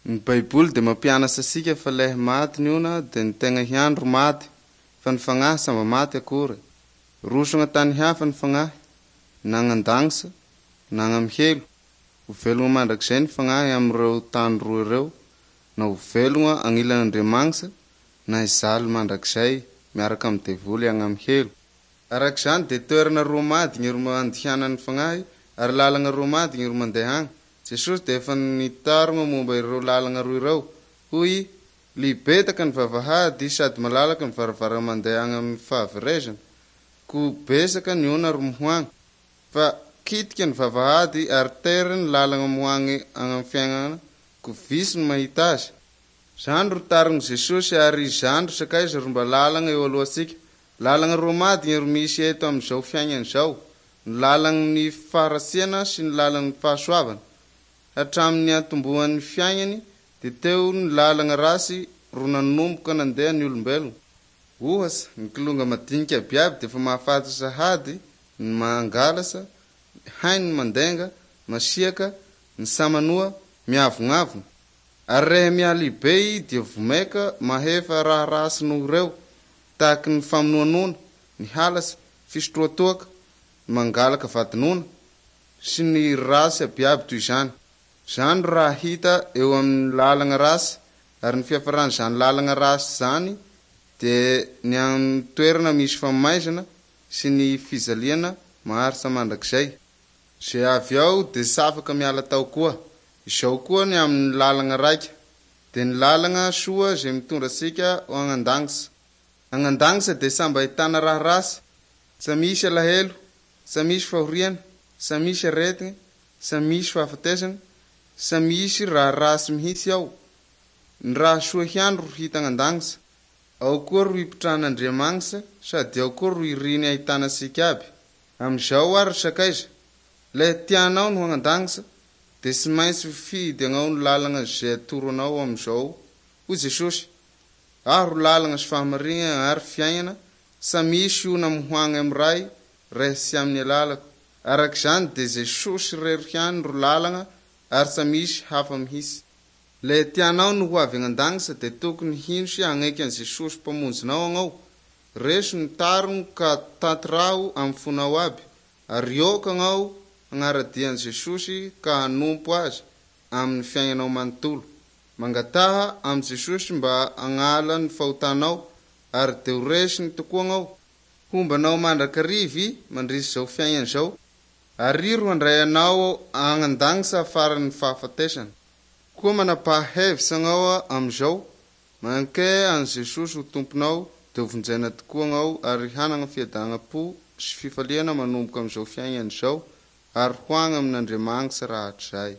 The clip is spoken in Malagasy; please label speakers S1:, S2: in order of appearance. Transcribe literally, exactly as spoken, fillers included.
S1: Ny Baiboly dia mampianatra antsika fa lehy maty ny ona dia ny tegna ihany ro maty, fa ny fagnahy tsy mba maty akory. Roso tany hafa ny fagnahy, na agny na agny amy helo. Ho velogno mandrakizay ny fagnahy amin'ireo tany roa ireo, na ho velogno agnilan'Andriamanitra na hijaly mandrakizay miaraka amin'ny devoly agny amy helo. Araka izany dia toerana roa madigny ro andihanan'ny fagnahy ary lalana roa madigny ro mandeha agny. Jesosy dia efa nitarogna momba ireo lalana roa ireo. Hoy libetaka ny vavahady sady malalaka ny varavara mandeha agny amin'ny fahaverezana. Ko besaka ny ona ro mohoagny. Fa kitika ny vavahady ary tery ny lalana mohoagny agny amin'ny fiainana ko visy ny mahita azy. Zany ro tarigny Jesosy ary izany ro sakaiza ro mba lalana eo alohantsika. Lalana roa madigny ro misy eto amin'izao fiainana izao. Ny lalan'ny faharatsiana sy ny lalan'ny fahasoavana. Hatramin'ny antombohan'ny fiainany dia teo ny lalana rasy ro nanomboka nandeha ny olombelona. Ohatsy, ny kilonga madinika abiaby dia efa mahafaty sahady ny mangalasa, hainy ny mandenga, masiaka, ny samanoa, miavognavona. Ary rehe mialibe i dia vomeka mahefa raha rasy noho ireo, tahaky ny famonoanona, ny halasy, fisotroatoaka, ny mangalaka vadinona, sy ny rasy abiaby toy izany. Zany raha hita eo amin'ny lalana rasy, ary ny fiafaran'izany lalana rasy zany dia ny amin'ny toerana misy famaizana sy ny fijaliana maharitra mandrakizay. Zay avy ao dia tsy afaka miala tao koa. Izao koa ny amin'ny lalana raika, dia ny lalana soa izay mitondra antsika ho agny an-danitra. Agny an-danitra dia samby ahitana raha rasy, tsy misy alahelo, tsy misy fahoriana, tsy misy aretigny, tsy misy fahafatesana, tsy misy raha rasy mihitsy ao. Ny raha soa ihany ro hita agny an-danitra. Ao koa ro hipetrahan'Andriamanitra sady ao koa ro iriny ahitana antsika aby. Amin'izao ary sakaiza, le tianao no agny an-danitra dia tsy maintsy fidy agnao ny lalana izay atoro anao amin'izao. Hoy Jesosy, aho ro lalana sy fahamarinana ary fiainana, tsy misy ona mohoagny amin'ny Ray raha tsy amin'ny alalako. Araka izany dia Jesosy irery ihany ro lalana ary tsy misy hafa mihitsy. Le tianao no ho avy agny an-danitra dia tokony hino sy hagneky an'i Jesosy mpamonjinao agnao. Reso ny tarogno ka tantiraho amin'ny fonao aby, ary ioka agnao hagnaradia an'i Jesosy ka hanompo azy amin'ny fiainanao manontolo. Mangataha amin'i Jesosy mba hagnala ny fahotanao ary dia ho resiny tokoa agnao. Hombanao mandrakariva mandrisy izao fiainana izao, ary ro handray anao agny an-danitra afaran'ny fahafatesana. Koa manapa-hevitra agnao amin'izao, manke an'i Jesosy ho tomponao dia ho vonjena tokoa agnao ary hanana fiadanam-po sy fifaliana manomboka amin'izao fiainana izao ary ho agny amin'Andriamanitra rahatrizay.